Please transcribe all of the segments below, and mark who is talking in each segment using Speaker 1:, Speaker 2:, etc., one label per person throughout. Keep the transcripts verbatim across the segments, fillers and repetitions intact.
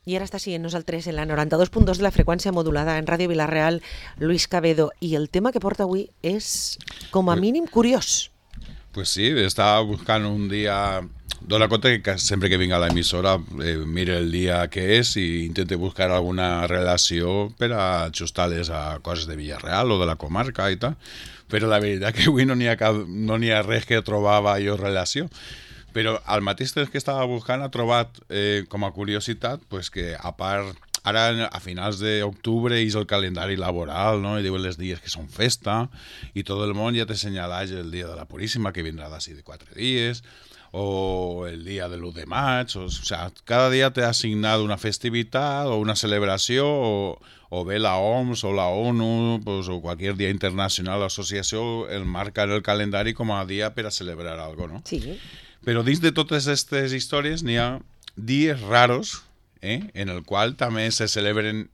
Speaker 1: I ara està siguent nosaltres en la noranta-dos punt dos de la freqüència modulada en Ràdio Vila-real, Luis Cabedo, i el tema que porta avui és, com a mínim, curiós.
Speaker 2: Pues sí, estava buscant un dia... Dóna compte que sempre que vinc a l'emissora eh, mire el dia que és i intente buscar alguna relació per a ajustar-les a coses de Villarreal o de la comarca i tal, però la veritat que avui no n'hi ha, cap, no n'hi ha res que trobava jo relació. Però al mateix temps que estava buscant ha trobat eh, com a curiositat pues, que a part, ara a finals d'octubre és el calendari laboral, no? I diuen els dies que són festa i tot el món ja te senyaleix el dia de la Puríssima que vindrà d'ací de quatre dies o el dia de l'u de maig, o, o sea, cada dia t'ha assignat una festivitat o una celebració o, o bé la O M S o la ONU pues, o qualsevol dia internacional o associació el marca en el calendari com a dia per a celebrar alguna cosa, no?
Speaker 1: Sí.
Speaker 2: Però dins de totes aquestes històries n'hi ha dies raros eh, en el qual també se celebren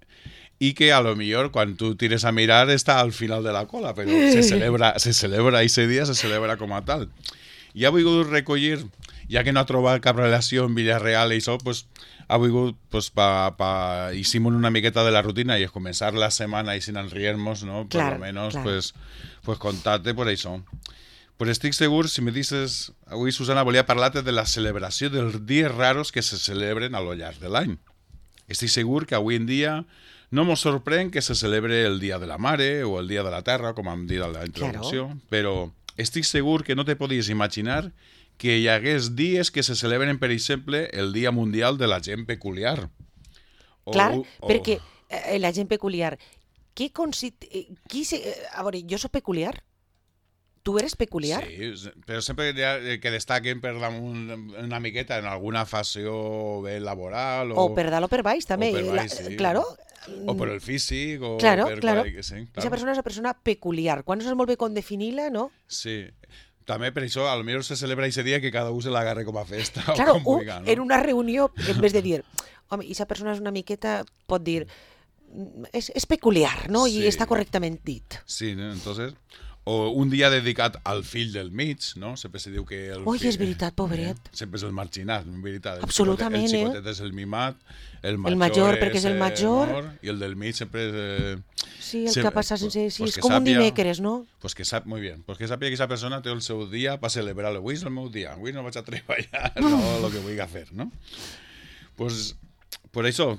Speaker 2: i que a lo millor quan tu tires a mirar està al final de la cola, però se celebra, se celebra ese dia, se celebra com a tal. I ha volgut recollir, ja que no ha trobat cap relació en Villarreal i això, pues, ha volgut, pues, pa, pa, hicimos una miqueta de la rutina i es començar la setmana i sin enriarnos, ¿no? Por
Speaker 1: claro,
Speaker 2: lo menos,
Speaker 1: claro.
Speaker 2: pues, pues contarte por això. Però estic segur, si me dices... Avui, Susana, volia parlar-te de la celebració dels dies raros que se celebren a lo llarg de l'any. Estic segur que avui en dia no mos sorprèn que se celebre el Dia de la Mare o el Dia de la Terra, com hem dit a la introducció, claro. Però estic segur que no te podies imaginar que hi hagués dies que se celebren, per exemple, el Dia Mundial de la Gent Peculiar.
Speaker 1: O, Clar, o... perquè eh, la gent peculiar... Qui consit... Qui se... A veure, jo soc peculiar? Tu eres peculiar?
Speaker 2: Sí, però sempre que destaquen per damunt una miqueta en alguna facció bé laboral o...
Speaker 1: O per dalt o per baix, també.
Speaker 2: O per baix,
Speaker 1: la,
Speaker 2: sí.
Speaker 1: Claro.
Speaker 2: O per el físic, o
Speaker 1: claro,
Speaker 2: per...
Speaker 1: Claro,
Speaker 2: claro. Sí, claro.
Speaker 1: Esa persona és una persona peculiar. Quan no saps molt bé com definir-la, no?
Speaker 2: Sí. També per això, a lo millor se celebra ese dia que cada un se l'agarre com a festa.
Speaker 1: Claro,
Speaker 2: o com vulga, no?
Speaker 1: En una reunió, en vez de dir, home, esa persona és una miqueta, pot dir, és, és peculiar, no?
Speaker 2: Sí.
Speaker 1: I està correctament dit.
Speaker 2: Sí, ¿no? Entonces... O un dia dedicat al fill del mig, no? Sempre se diu que... El
Speaker 1: Ui,
Speaker 2: fill,
Speaker 1: és veritat, pobret.
Speaker 2: Eh? Sempre és el marginat, en veritat. El
Speaker 1: Absolutament,
Speaker 2: xicotet,
Speaker 1: eh?
Speaker 2: El xicotet és el mimat, el major,
Speaker 1: el major perquè és el major,
Speaker 2: honor, i el del mig sempre és... Eh,
Speaker 1: sí, el
Speaker 2: sempre,
Speaker 1: que passa sense... Sí,
Speaker 2: pues
Speaker 1: és com
Speaker 2: sàpia,
Speaker 1: un dimecres, no?
Speaker 2: Pues que sap, muy bien, pues que sàpia que esa persona té el seu dia per celebrar-lo. Avui és el meu dia, avui no vaig a treballar, no, el que vull fer, no? Pues, per això...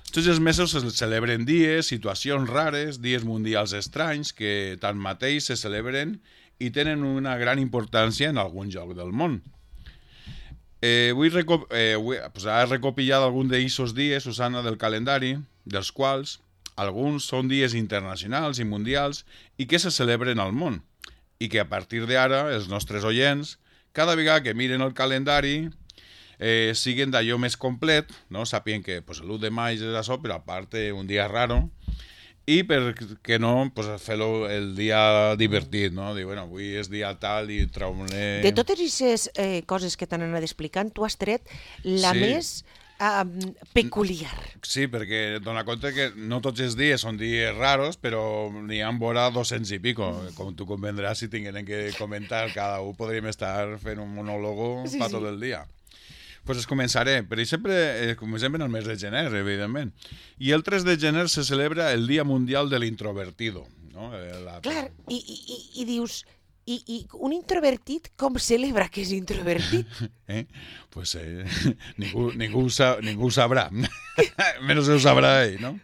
Speaker 2: Tots els mesos se celebren dies, situacions rares, dies mundials estranys que tanmateix se celebren i tenen una gran importància en algun lloc del món. Eh, vull recop eh, vull, pues, he recopilat algun d'aquests dies, Susana, del calendari, dels quals alguns són dies internacionals i mundials i que se celebren al món. I que a partir d'ara els nostres oients, cada vegada que miren el calendari, Eh, siguen d'allò més complet, no? Sapien que pues, l'u de maig és això, però a part un dia raro, i per què no pues, fer-lo el dia divertit, no? Dir, bueno, avui és dia tal i trauré...
Speaker 1: De totes aquestes eh, coses que t'han anat explicant, tu has tret la
Speaker 2: sí.
Speaker 1: més um, peculiar.
Speaker 2: Sí, perquè dona compte que no tots els dies són dies raros, però n'hi ha vora dos-cents i pico. Com tu convendràs, si tinguem que comentar, cada un podríem estar fent un monòlogo sí, per sí. Tot el dia. Pues es començaré, per exemple, eh, comencem en el mes de gener, evidentment. I el tres de gener se celebra el Dia Mundial de l'Introvertido. No? La...
Speaker 1: Clar, i, i, i dius, i, i un introvertit com celebra que és introvertit?
Speaker 2: Eh? Pues eh, ningú, ningú, ho sa, ningú ho sabrà, menys ho sabrà ell, no?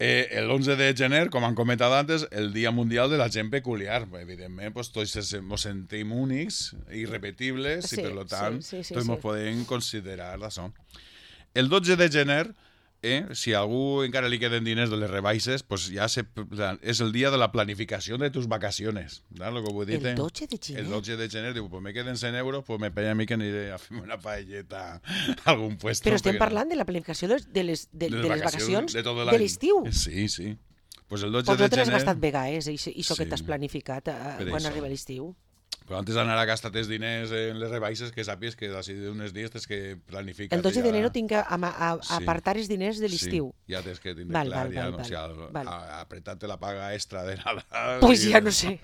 Speaker 2: Eh, l'onze de gener, com han comentat antes, el Dia Mundial de la Gent Peculiar. Evidentment, pues, tots ens sentim únics, irrepetibles, sí, i per tant, sí, sí, sí, tots ens sí. Podem considerar això. El dotze de gener, eh, si a algú encara li queden diners de les rebaixes, pues ja se, és el dia de la planificació de tus vacaciones. ¿No? Lo que vull dir,
Speaker 1: el dotze de gener?
Speaker 2: El dotze de gener, diu, pues me queden cent euros, pues me pella a mi que aniré a fer una paelleta a algun puesto.
Speaker 1: Però estem parlant de la planificació de les, de les, de, de les vacacions, vacacions de, de l'estiu.
Speaker 2: Sí, sí. Pues el dotze
Speaker 1: pues
Speaker 2: de
Speaker 1: gener... Pues no te l'has gastat vegades, això sí. Que t'has planificat a, quan això. Arriba l'estiu.
Speaker 2: Però antes d'anar a gastar els diners en les rebaixes, que sàpies que d'ací d'uns dies tens que planificar.
Speaker 1: El dotze ja... d'enero tinc que a, a, a sí. apartar els diners de l'estiu.
Speaker 2: Sí, ja tens que tindre
Speaker 1: val,
Speaker 2: clar,
Speaker 1: val,
Speaker 2: ja,
Speaker 1: val,
Speaker 2: no,
Speaker 1: val,
Speaker 2: o sigui,
Speaker 1: val.
Speaker 2: apretar-te la paga extra de Nadal.
Speaker 1: Pues ja no sé.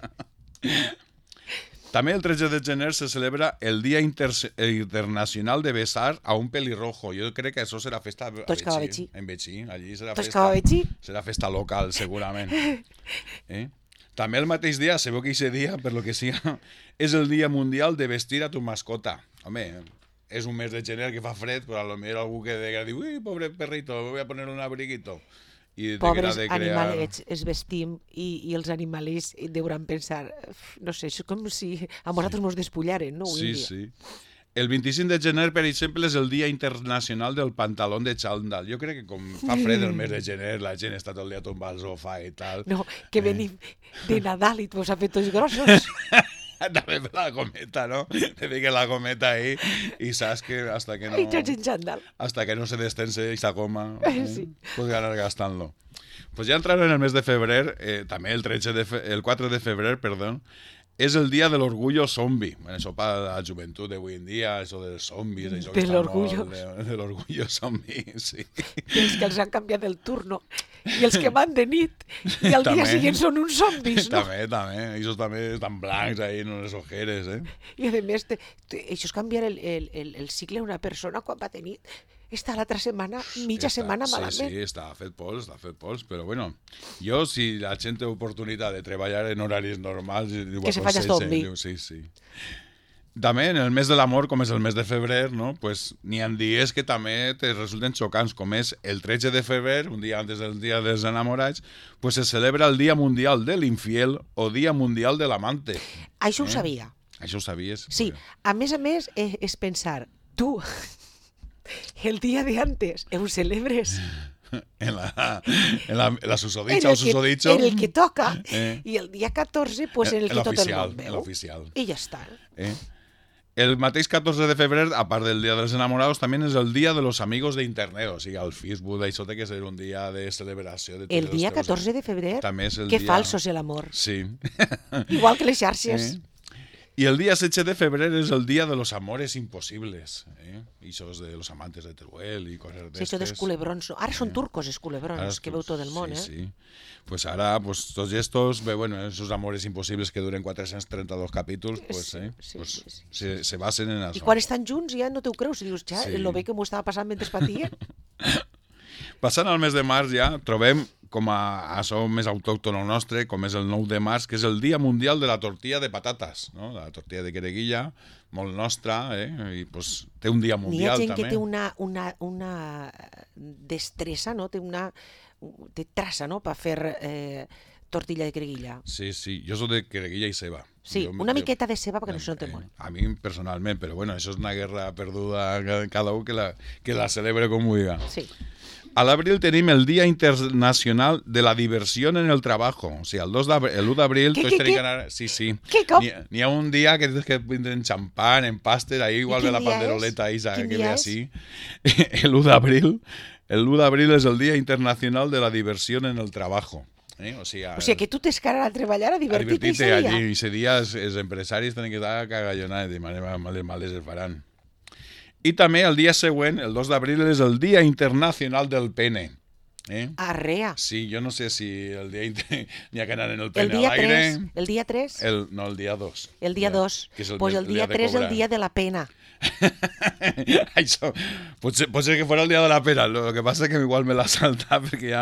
Speaker 2: També el tretze de gener se celebra el Dia Inter Internacional de Besar a un pelirrojo. Jo crec que això serà festa a
Speaker 1: Betxí.
Speaker 2: En Betxí. Allí serà
Speaker 1: Tots
Speaker 2: festa,
Speaker 1: cap a Betxí.
Speaker 2: serà festa local, segurament. Eh? També el mateix dia, sabeu que aquest dia, per lo que siga, és el Dia Mundial de vestir a tu mascota. Home, és un mes de gener que fa fred, però a lo millor algú que diu, ui, pobre perrito, voy a poner un abriguito. I
Speaker 1: Pobres
Speaker 2: de crear...
Speaker 1: animalets es vestim i, i els animalets deuran pensar, no sé, és com si a nosaltres sí. Ens despullaren, no?
Speaker 2: Sí, sí. El vint-i-cinc de gener, per exemple, és el Dia Internacional del Pantalón de Xandall. Jo crec que com fa fred el mes de gener, la gent està tot el dia tombada al sofà i tal.
Speaker 1: No, que venim eh. de Nadal i tu has fet tots grossos.
Speaker 2: També per la gometa, no? Te fiques la gometa ahí i saps que hasta que no...
Speaker 1: I tots en xandall.
Speaker 2: Hasta que no se destense esa goma,
Speaker 1: eh, sí.
Speaker 2: Puedes ganar gastant-lo. Pues ya entraron en el mes de febrer, eh, també el, tretze de fe... el quatre de febrer, perdón, és el dia de l'orgullo zombi. Bueno, això per la joventut d'avui en dia, això dels zombis, això que
Speaker 1: de
Speaker 2: està molt...
Speaker 1: De,
Speaker 2: de l'orgullo zombi, sí.
Speaker 1: I els que els han canviat el turno. I els que van de nit i al dia següent són uns zombis, no?
Speaker 2: També, també. Ells també estan blancs ahí en les ojeres, eh?
Speaker 1: I a més, te, te, això és canviar el, el, el, el cicle d'una persona quan va tenir... Està l'altra setmana, mitja està, setmana malament.
Speaker 2: Sí, sí, està fet pols, està fet pols, però bueno, jo si la gent té oportunitat de treballar en horaris normals...
Speaker 1: Que se faci zombi.
Speaker 2: Sí, sí. També en el mes de l'amor, com és el mes de febrer, no? Pues n'hi ha dies que també te resulten xocants, com és el tretze de febrer, un dia antes del dia dels enamorats, pues se celebra el Dia Mundial de l'Infiel o Dia Mundial de l'Amante.
Speaker 1: Això ho
Speaker 2: eh?
Speaker 1: sabia.
Speaker 2: Això ho sabies?
Speaker 1: Sí, a més a més és, és pensar, tu... El dia de antes, ho celebres
Speaker 2: en la, en la, en la susodicha o susodicho.
Speaker 1: En el que toca, eh. I el dia catorze, pues en el, el que tot el món veu.
Speaker 2: L'oficial.
Speaker 1: I ja està.
Speaker 2: Eh. El mateix catorze de febrer, a part del Dia dels Enamorados, també és el Dia de los Amigos de Internet. O sigui, el Facebook, això té que ser un dia de celebració. De
Speaker 1: el dia catorze de febrer?
Speaker 2: També és el
Speaker 1: que
Speaker 2: dia...
Speaker 1: falso és l'amor.
Speaker 2: Sí.
Speaker 1: Igual que les xarxes.
Speaker 2: Eh. I el dia setze de febrer és el dia de los amores imposibles. Eh? I això és de los amantes de Teruel i coses d'estes.
Speaker 1: Sí, això dels culebrons. Ara són turcos, els culebrons, ara que veu tot el món,
Speaker 2: sí,
Speaker 1: eh?
Speaker 2: Sí, pues ara, pues, tots estos, bé, bueno, esos amores imposibles que duren quatre-cents trenta-dos capítols, pues, eh,
Speaker 1: sí,
Speaker 2: pues,
Speaker 1: sí, sí.
Speaker 2: Se, se basen en això.
Speaker 1: I quan estan junts ja no t'ho creus, i dius, ja,
Speaker 2: sí.
Speaker 1: Lo bé que m'ho estava passant mentre patia.
Speaker 2: Passant al mes de març ja, trobem com a això més autòctono nostre, com és el nou de març, que és el Dia Mundial de la Tortilla de Patates, no? La tortilla de quereguilla, molt nostra, eh? I pues, té un dia mundial, també.
Speaker 1: N'hi ha gent que té una, una, una destressa, no? Té una... té traça, no?, per fer eh, tortilla de quereguilla.
Speaker 2: Sí, sí, jo soc de quereguilla i ceba.
Speaker 1: Sí,
Speaker 2: jo,
Speaker 1: una
Speaker 2: jo,
Speaker 1: miqueta de ceba perquè eh, no se note molt.
Speaker 2: A mi personalment, però bueno, això és una guerra perduda, cada un que la, que la celebre com vulgui.
Speaker 1: Sí.
Speaker 2: A l'abril tenim el Dia Internacional de la Diversión en el Trabajo. O sigui, el dos l'u d'abril tots tenim que anar... Sí, sí.
Speaker 1: Què, com?
Speaker 2: N'hi ha un dia que tens que prendre en xampán, en pàster, ahí igual de la panderoleta ahí, que ve así. El u d'abril, el u d'abril és el Dia Internacional de la Diversión en el Trabajo. Eh? O, sigui,
Speaker 1: o sigui, que tu t'és cara a treballar, a divertir-te
Speaker 2: ese dia. Allí, ese dia els, els empresaris tenen que estar cagallonats, de manera males, males es faran. I també el dia següent, el dos d'abril, és el Dia Internacional del Pene. Eh?
Speaker 1: Arrea.
Speaker 2: Sí, jo no sé si el dia inter... n'hi ha que anar en el pene
Speaker 1: el
Speaker 2: a l'aire.
Speaker 1: El dia tres?
Speaker 2: El, no, el dia dos.
Speaker 1: El dia dos. Pues el, el dia tres és el dia de la pena.
Speaker 2: Això, potser, potser que fos el dia de la pena, lo que passa és que igual me l'ha saltat perquè ja...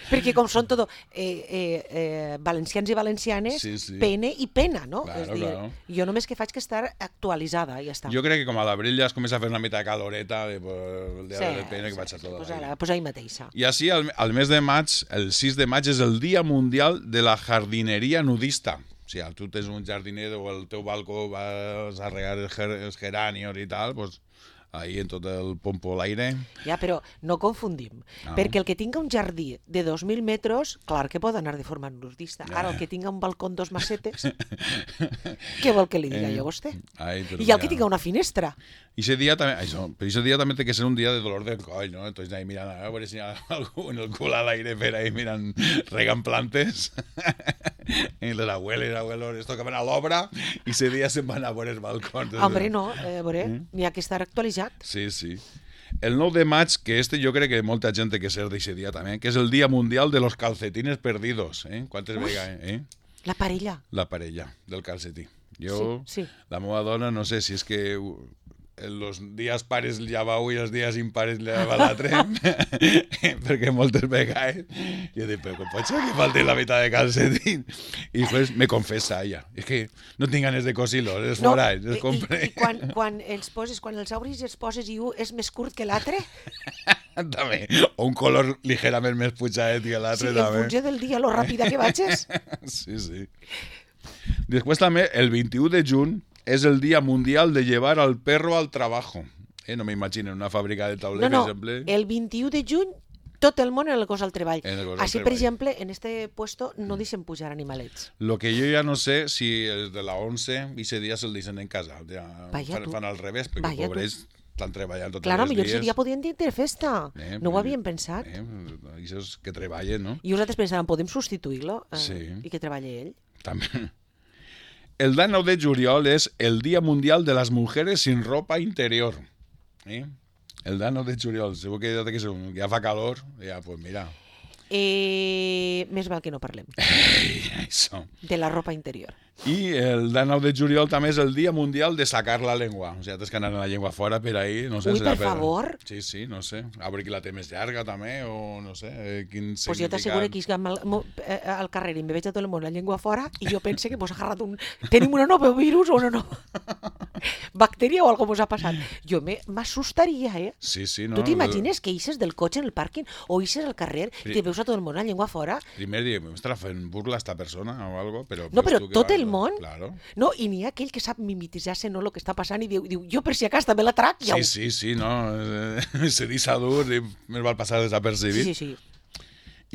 Speaker 1: perquè com són tot eh, eh, eh, valencians i valencianes, sí, sí. Pene i pena, no?
Speaker 2: Claro,
Speaker 1: és dir,
Speaker 2: claro.
Speaker 1: Jo només que faig que estar actualitzada i ja està.
Speaker 2: Jo crec que com a l'abril ja es comença a fer una mica de caloreta, de, pues, el dia
Speaker 1: sí,
Speaker 2: del pene que
Speaker 1: sí,
Speaker 2: vaig a tot
Speaker 1: pues
Speaker 2: l'aire.
Speaker 1: ara, pues ahí mateixa.
Speaker 2: I així, al, al mes de maig, el sis de maig, és el Dia Mundial de la Jardineria Nudista. O sigui, tu tens un jardiner o el teu balcó vas a regar els, ger els geranios i tal, doncs ahí en tot el pompo a l'aire.
Speaker 1: Ja, però no confundim, no. Perquè el que tinga un jardí de dos mil metres, clar que pot anar de forma nudista. Ara, el que tinga un balcó amb dos macetes, què vol que li diga eh, jo a vostè? Ai, I el que tinga una finestra.
Speaker 2: I ese dia també, això, però ese dia també té que ser un dia de dolor del coll, no? Entonces ahí mirant, a veure si hi ha algú en el cul a l'aire per ahí mirant, regant plantes. I les abueles i abuelos es tocaven a l'obra i ese dia se'n van a veure els balcons.
Speaker 1: Hombre, no, eh, a veure, mm? N'hi ha que estar actualitzat.
Speaker 2: Sí, sí. El nou de maig, que este jo crec que molta gent té que ser d'aquest dia també, que és el Dia Mundial de los Calcetines Perdidos. Eh? Quantes vegades, eh?
Speaker 1: La parella.
Speaker 2: La parella del calcetí. Jo,
Speaker 1: sí, sí.
Speaker 2: la meva dona, no sé si és que els dies pares lleva un i els dies impares lleva l'altre, perquè moltes vegades jo dic, però com pot ser que falti la meitat de calcetín? I després me confessa ella, és que no tinc ganes de cosir-los, els no, forats, els compré.
Speaker 1: I, i quan, quan els poses, quan els obris i els poses i un és més curt que l'altre?
Speaker 2: També, o un color ligerament més pujadet que l'altre,
Speaker 1: sí,
Speaker 2: també.
Speaker 1: Sí, en funció del dia, lo ràpida que vagis.
Speaker 2: Sí, sí. Després també, el vint-i-u de juny, és el Dia Mundial de llevar al perro al trabajo. Eh? No m'imagino una fàbrica de tauler,
Speaker 1: no, no,
Speaker 2: per exemple.
Speaker 1: El vint-i-u de juny tot el món en el cos al treball. Així, per exemple, en este puesto no deixen pujar animalets.
Speaker 2: Lo que jo ja no sé si els de la once i ese dia se'l deixen en casa. Ja fan, fan al revés, perquè Vaya pobres estan treballant tots
Speaker 1: claro,
Speaker 2: els dies.
Speaker 1: Claro, millor seria podien dir festa. Eh, no ho havien pensat.
Speaker 2: Eh, això és que treballen, no?
Speaker 1: I vosaltres pensàvem, podem substituir-lo eh,
Speaker 2: sí.
Speaker 1: i que treballi ell?
Speaker 2: També. El dia nou de juliol és el Dia Mundial de las Mujeres sin ropa interior. ¿Eh? El dia nou de juliol, segur que ja fa calor, ja, pues mira.
Speaker 1: Eh, més val que no parlem.
Speaker 2: Ei, això.
Speaker 1: De la ropa interior.
Speaker 2: I el dia nou de juliol també és el Dia Mundial de sacar la llengua. O sigui, tens que anar amb la llengua fora per ahí. No sé,
Speaker 1: Ui, per,
Speaker 2: per
Speaker 1: favor.
Speaker 2: Sí, sí, no sé. A veure qui la té més llarga també, o no sé. Quin
Speaker 1: pues significat... jo t'asseguro que al, al carrer i me veig a tot el món la llengua fora i jo pense que mos ha agarrat un... Tenim una nova virus o una nova bactèria o algo mos ha passat. Jo m'assustaria, eh?
Speaker 2: Sí, sí, no.
Speaker 1: Tu t'imagines que ixes del cotxe en el pàrquing o ixes al carrer i te veus a tot el món la llengua fora?
Speaker 2: Primer dia, m'estarà fent burla esta persona o algo, però...
Speaker 1: No, però tot el món?
Speaker 2: Claro.
Speaker 1: No, i n'hi ha aquell que sap mimetitzar-se no el que està passant i diu, diu jo per si acas també la trac.
Speaker 2: Ja sí, sí, sí, no, se deixa dur i més val passar desapercibit.
Speaker 1: Sí, sí, sí.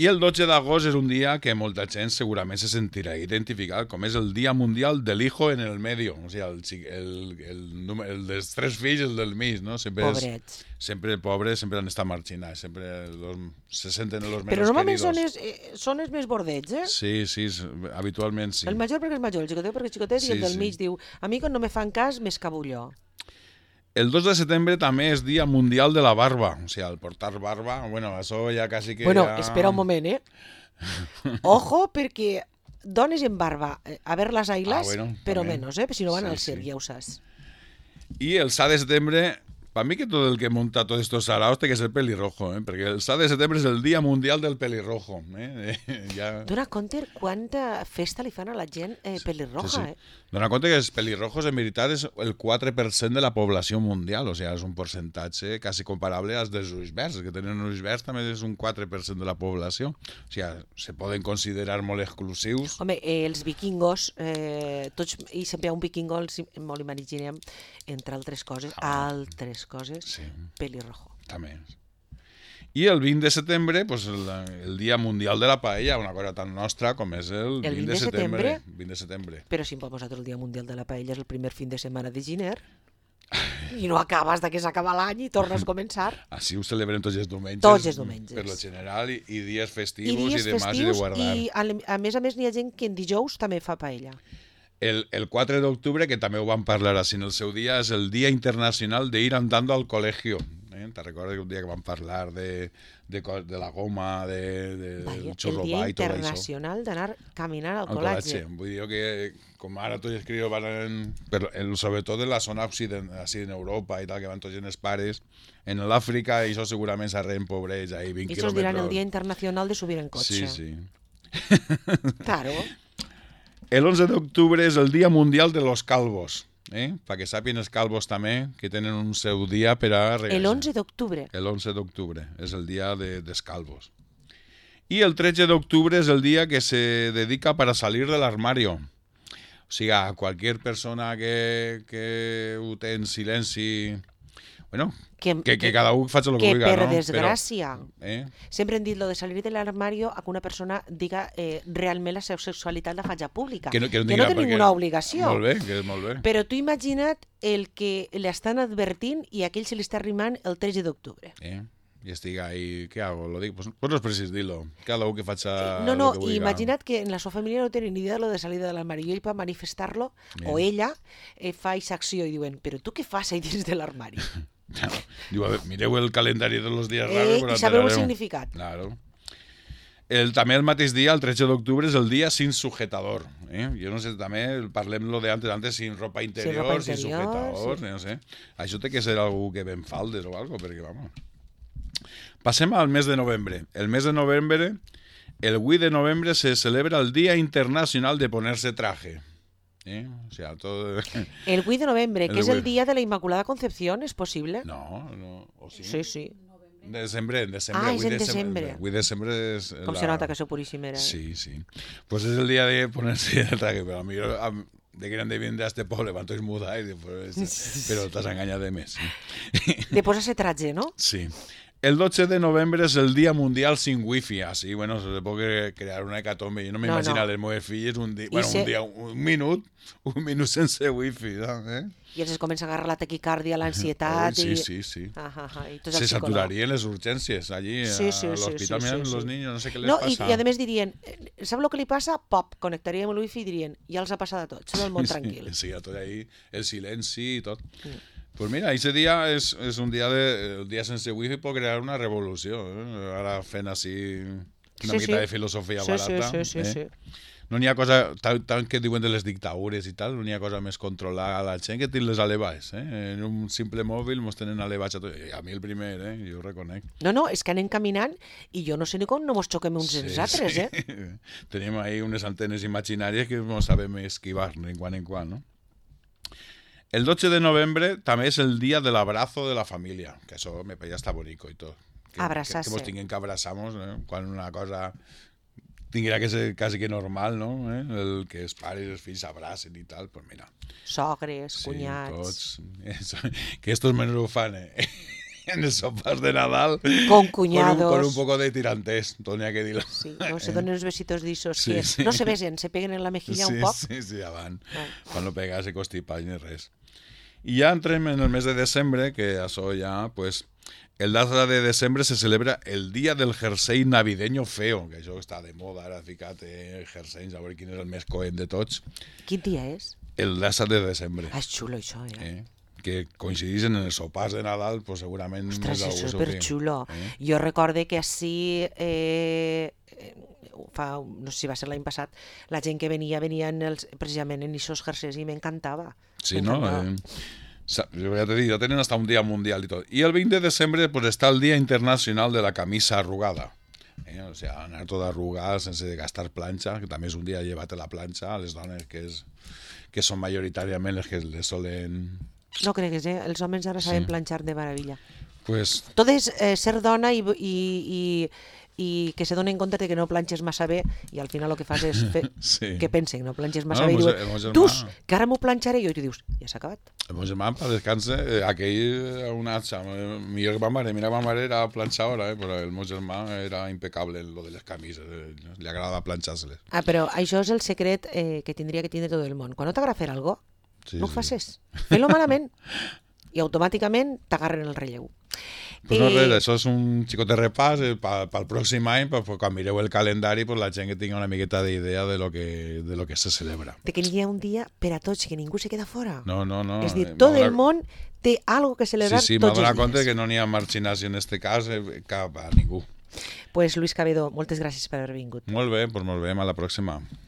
Speaker 2: I el dotze d'agost és un dia que molta gent segurament se sentirà identificat, com és el Dia Mundial del Hijo en el Medio, o sigui, el, el, el, el dels tres fills, el del mig, no? Sempre
Speaker 1: Pobrets.
Speaker 2: És, sempre pobres, sempre han estat marginats, sempre los, se senten els menys
Speaker 1: queridos. Però normalment són els,
Speaker 2: eh,
Speaker 1: són els més bordets, eh?
Speaker 2: Sí, sí, habitualment sí.
Speaker 1: El major perquè és major, el xicotet perquè és xicotet, sí, i el del sí. mig diu, a mi quan no me fan cas m'escabulló.
Speaker 2: El dos de setembre també és Dia Mundial de la Barba. O sigui, el portar barba, bueno, això ja quasi que
Speaker 1: bueno,
Speaker 2: ja...
Speaker 1: espera un moment, eh? Ojo, perquè dones en barba, a ver las ailas, ah, bueno, però també. Menos, eh? Si no van sí, al circ, sí. Ja ho saps.
Speaker 2: I el set de setembre, per mi que tot el que munta tots estos saraos té que ser pelirrojo, eh? Perquè el set de setembre és el Dia Mundial del Pelirrojo. Eh? Ja...
Speaker 1: Dona compte quanta festa li fan a la gent eh, pelirroja, sí, sí. eh?
Speaker 2: Dona compte que els pelirrojos en veritat és el quatre per cent de la població mundial, o sigui, és un percentatge quasi comparable als dels ulls verds, que tenen ulls verds també és un quatre per cent de la població, o sigui, se poden considerar molt exclusius.
Speaker 1: Home, eh, els vikingos, eh, tots, i sempre hi ha un vikingo, els, molt imaginem, entre altres coses, ah, altres coses, sí. Pelirrojo.
Speaker 2: També. I el vint de setembre, pues, el, el Dia Mundial de la Paella, una cosa tan nostra com és el, el vint de setembre. vint de setembre.
Speaker 1: Però si nosaltres el Dia Mundial de la Paella és el primer fin de setmana de gener i no acabes de que s'acaba l'any i tornes a començar.
Speaker 2: Així ho celebrem tots els diumenges.
Speaker 1: Tots els diumenges.
Speaker 2: Per lo general, i, i dies festius
Speaker 1: i, dies
Speaker 2: i demà i de guardar.
Speaker 1: I a, a més a més n'hi ha gent que en dijous també fa paella.
Speaker 2: El, el quatre d'octubre, que també ho vam parlar així en el seu dia, és el Dia Internacional de ir andando al colegio. Eh? Te recordes que un dia que vam parlar de, de, de la goma, de, de,
Speaker 1: Vaya,
Speaker 2: del xurrobà i tot això.
Speaker 1: El Dia Internacional d'anar caminant al, al col·legi.
Speaker 2: Vull dir que, com ara tots els crios van, en, per, en, sobretot en la zona occident, així en Europa i tal, que van tots els pares, en l'Àfrica, i això segurament s'arren pobrets, ahí vint quilòmetres.
Speaker 1: I això diran el Dia Internacional de subir en cotxe.
Speaker 2: Sí, sí.
Speaker 1: Claro.
Speaker 2: El onze d'octubre és el Dia Mundial de los Calvos. Eh? Perquè sàpien els calvos també que tenen un seu dia per a regar-se.
Speaker 1: El onze d'octubre.
Speaker 2: El onze d'octubre és el dia de, dels calvos. I el tretze d'octubre és el dia que se dedica para salir del armario. O sigui, a qualsevol persona que, que ho té en silenci... Bueno, que, que, que cada un faci el que,
Speaker 1: que
Speaker 2: vulgui,
Speaker 1: per
Speaker 2: no?
Speaker 1: desgràcia.
Speaker 2: Però, eh?
Speaker 1: Sempre hem dit lo de salir de l'armario a que una persona diga eh, realment la seva sexualitat la faig pública.
Speaker 2: Que no, que no,
Speaker 1: que no té ninguna obligació.
Speaker 2: Molt bé, que és molt bé.
Speaker 1: Però tu imagina't el que l'estan advertint i a aquell se li està arrimant el tretze d'octubre.
Speaker 2: Eh? I estic ahí, què hago? Lo dic? Pues, pues no és precís dir-lo. Cada un que faça
Speaker 1: no, no,
Speaker 2: lo que vulgui.
Speaker 1: I imagina't que en la seva família no tenen ni idea de lo de salir de l'armari. I ell per manifestar-lo, o ella, eh, fa aquesta acció i diuen, però tu què fas ahí dins de l'armari?
Speaker 2: Diu, a ver, mireu el calendari de los días
Speaker 1: eh,
Speaker 2: raros.
Speaker 1: I sabeu el significat.
Speaker 2: Claro. El, també el mateix dia, el tretze d'octubre, és el dia sin sujetador. Eh? Jo no sé, també parlem-lo de antes, antes sin ropa interior, sin, ropa interior, sin sujetador, sí. No sé. Això té que ser algú que ven faldes o algo, perquè, vamos... Passem al mes de novembre. El mes de novembre, el vuit de novembre se celebra el Día Internacional de Ponerse Traje. ¿Eh? O sea, todo...
Speaker 1: El vuit de novembre, el que és el dia de la Inmaculada Concepción, ¿és possible?
Speaker 2: No, no. ¿O sí?
Speaker 1: Sí, sí.
Speaker 2: Desembre, en desembre.
Speaker 1: Ah, és en desembre.
Speaker 2: vuit de desembre és...
Speaker 1: Com la... se nota que sou puríssimera. Eh?
Speaker 2: Sí, sí. Pues és el dia de ponerse el traje, però a mi de grande viene a este poble, van tots mudar, i pues, però t'has enganyat de més. Sí.
Speaker 1: De posar-se traje, no?
Speaker 2: Sí. El dotze de novembre és el Dia Mundial sin Wifi, así, bueno, se puede crear una hecatombe. Jo no m'imagino no, no. les meves filles un dia, bueno, se... un dia, un minut, un minut sense Wifi, eh?
Speaker 1: I els es comença a agarrar la taquicàrdia, l'ansietat...
Speaker 2: Sí,
Speaker 1: i...
Speaker 2: sí, sí.
Speaker 1: Ah, ah, ah, i
Speaker 2: se saturarien les urgències allí
Speaker 1: sí, sí,
Speaker 2: a l'hospital,
Speaker 1: sí, sí,
Speaker 2: miren
Speaker 1: sí,
Speaker 2: los
Speaker 1: sí.
Speaker 2: niños, no sé què les
Speaker 1: no,
Speaker 2: passa.
Speaker 1: I, i a més dirien, sap el que li passa? Pop, connectaríem el wifi i dirien, ja els ha passat a tots, són el món tranquil.
Speaker 2: Sí, sí, tot ahí, el silenci i tot. Mm. Pues mira, ese día es, es un día de el día sense wifi por crear una revolució. Eh? Ara fent així una
Speaker 1: sí,
Speaker 2: mica
Speaker 1: sí.
Speaker 2: de filosofia
Speaker 1: sí,
Speaker 2: barata.
Speaker 1: Sí, sí,
Speaker 2: eh?
Speaker 1: sí, sí.
Speaker 2: No n'hi ha cosa, tant, tant que diuen de les dictadures i tal, no n'hi ha cosa més controlar a la gent que té les elevats. Eh? En un simple mòbil mos tenen elevats a tot. A mi el primer, eh? Jo ho reconec.
Speaker 1: No, no, és que anem caminant i jo no sé ni com no mos xoquem uns
Speaker 2: sí,
Speaker 1: els altres,
Speaker 2: sí.
Speaker 1: eh?
Speaker 2: Tenim ahí unes antenes imaginàries que no sabem esquivar en quan en quan, no? El dotze de novembre també és el dia de l'abrazo de la família, que això me ja està bonico i tot. Que,
Speaker 1: Abraçar-se.
Speaker 2: Que, que mos tinguem que abraçar-nos, eh? Quan una cosa tinguera que ser quasi que normal, no? Eh? El que els pares i els fills s'abracen i tal, pues mira.
Speaker 1: Sogres,
Speaker 2: sí,
Speaker 1: cunyats...
Speaker 2: Tots. Que estos menos ho fan, eh? En els sopars de Nadal.
Speaker 1: Con cuñados.
Speaker 2: Con un, con un poco de tirantés, tenía que dir-lo.
Speaker 1: Sí, no se donen uns besitos d'issos
Speaker 2: sí,
Speaker 1: que
Speaker 2: sí.
Speaker 1: no se besen, se peguen en la mejilla
Speaker 2: sí,
Speaker 1: un poc.
Speaker 2: Sí, sí, avant.
Speaker 1: Ah.
Speaker 2: Quan no pega se constipa ni res. I ja entrem en el mes de desembre, que això ja, pues, el dotze de desembre se celebra el Dia del Jersei Navideño Feo, que això està de moda, ara ficat eh, jerseis, a veure quin és el més coent de tots.
Speaker 1: Quin dia és?
Speaker 2: El dotze de desembre.
Speaker 1: Ah, és xulo això, eh?
Speaker 2: eh? Que coincideixen en els sopars de Nadal, pues segurament...
Speaker 1: Ostres, és superxulo. Eh? Jo recorde que així... Eh, fa, no sé si va ser l'any passat, la gent que venia, venien els, precisament en aquests jerseis i m'encantava.
Speaker 2: Sí, no? Eh, jo ja t'he dit, ja tenen hasta un dia mundial i tot. I el vint de desembre pues, està el Dia Internacional de la Camisa Arrugada. Eh? O sigui, anar tot arrugat sense gastar planxa, que també és un dia llevat a la planxa a les dones que, és, que són majoritàriament les que les solen...
Speaker 1: No cregues, eh? Els homes ara saben sí. planxar de meravella.
Speaker 2: Pues...
Speaker 1: Tot és eh, ser dona i, i, i, i que se donen compte que no planxes massa bé i al final el que fas és fer sí. que pensen que no planxes massa no, bé i diuen, tu, que ara m'ho planxaré i tu dius, ja s'ha acabat.
Speaker 2: El meu germà, per descanse, eh, aquell un atxa, millor que ma mare, mira ma mare era planxadora, eh, però el meu germà era impecable en lo de les camises, eh, li agrada planxar-se-les.
Speaker 1: Ah, però això és el secret eh, que tindria que tindre tot el món. Quan no t'agrada fer alguna cosa, sí, no ho sí. facis. Fes-lo malament i automàticament t'agarren el relleu.
Speaker 2: Pues no res, això és un xicot de repàs eh, pel pròxim any, pues, quan mireu el calendari, pues, la gent que tingui una miqueta d'idea de lo que, de lo que se celebra.
Speaker 1: De que n'hi ha un dia per a tots, que ningú se queda fora.
Speaker 2: No, no, no.
Speaker 1: És dir, tot el món té algo que celebrar
Speaker 2: sí, sí,
Speaker 1: tots els dies. Sí, sí,
Speaker 2: m'ha donat compte que no n'hi ha marginació en este cas eh, cap a ningú.
Speaker 1: Pues Luis Cabedo, moltes gràcies per haver vingut.
Speaker 2: Molt bé, pues ens veiem a la pròxima.